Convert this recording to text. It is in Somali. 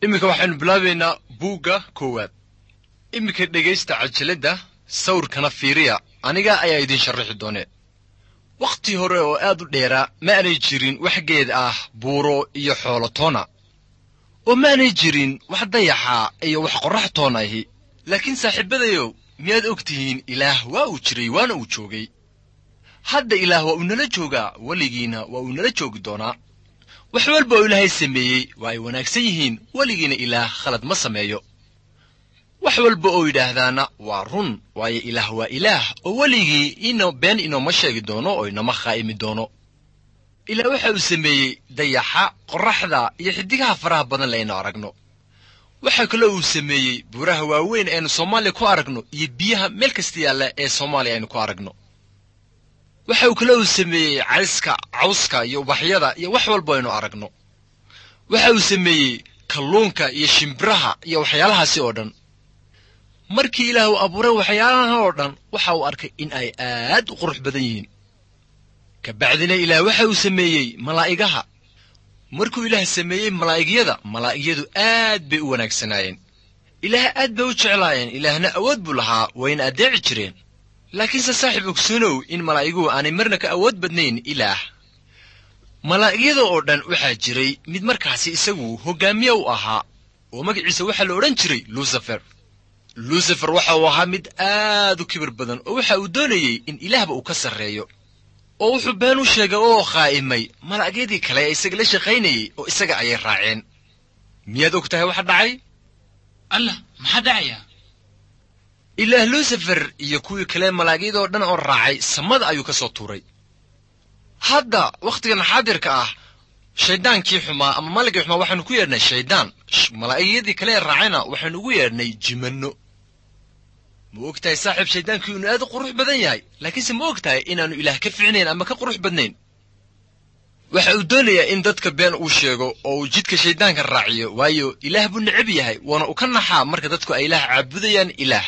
Iminka waxaynu bilaabaynaa buugga koowaad. Iminka dhegaysta cajiladda, sawirkana fiiriya, aniga ayaa idin sharraxi doonee. Wakhti hore oo aad u dheeraa ma aanay jirin wax geed ah, buuro iyo xoolo toona, oo ma aanay jirin wax dayaxa iyo wax qorrax toona ahi. Laakiin saaxiibadayow, miyaad og tihiin Ilaah waa uu jiray waana uu joogay. Hadda Ilaah waa uu nala joogaa, weligiina waa uu nala joogi doonaa. Wax walba oo Ilaahay sameeyey waa ay wanaagsan yihiin, weligiina Ilaah khalad ma sameeyo. Wax walba oo yidhaahdaana waa run, waayo Ilaah waa Ilaah oo weligii ino been inooma sheegi doono oo inoma khaa'imi doono. Ilaah waxa uu sameeyey dayaxa, qorraxda iyo xiddigaha faraha badan le aynu aragno. Waxaa kaloo uu sameeyey buuraha waaweyn eenu Soomaaliya ku aragno iyo biyaha meel kasta yaalla ee Soomaaliya aynu ku aragno. Waxa uu kaloo uu sameeyey cayska, cawska iyo ubaxyada iyo wax walba aynu aragno. Waxa uu sameeyey kalluunka iyo shimbiraha iyo waxyaalahaasi oo dhan. Markii Ilaah uu abuuray waxyaalahan oo dhan, waxa uu arkay in ay aad u qurux badan yihiin. Kabacdina Ilaah waxa uu sameeyey malaa'igaha. Markuu Ilaah sameeyey malaa'igyada, malaa'igyadu aad bay u wanaagsanaayeen. Ilaah aad bay u jeclaayeen, Ilaahna awood buu lahaa, wayna addeeci jireen. Laakiinse saaxiib, ogsoonow in malaa'iguhu aanay marna ka awood badnayn Ilaah. Malaa'igyada oo dhan waxaa jiray mid markaasi isagu hoggaamiye u ahaa, oo magaciisa waxaa la odhan jiray Lucifer. Lucifer waxa uu ahaa mid aad u kibir badan, oo waxa uu doonayey in Ilaahba uu ka sarreeyo, oo wuxuu been u sheegay oo khaa'imay malaa'igyadii kale ee isaga la shaqaynayey, oo isaga ayay raaceen. Miyaad og tahay waxa dhacay? Allah, maxaa dhacaya? Ilaah Lucifer iyo kuwii kale malaa'igyadoo dhan oo raacay samada ayuu ka soo tuuray. Hadda wakhtigan xaadirka ah, shayddaankii xumaa ama malagii xumaa waxaanu ku yeedhnay shayddaan, malaa'igyadii kale ee raacayna waxaynu ugu yeedhnay jimanno. Ma og tahay saaxiib, shayddaankii inuu aad u qurux badan yahay? Laakiinse ma og tahay inaannu Ilaah ka ficnayn ama ka qurux badnayn? Waxa uu doonayaa in dadka been uu sheego oo uu jidka shayddaanka raaciyo, waayo Ilaah buu necab yahay, waana uu ka naxaa marka dadku ay Ilaah caabudayaan. Ilaah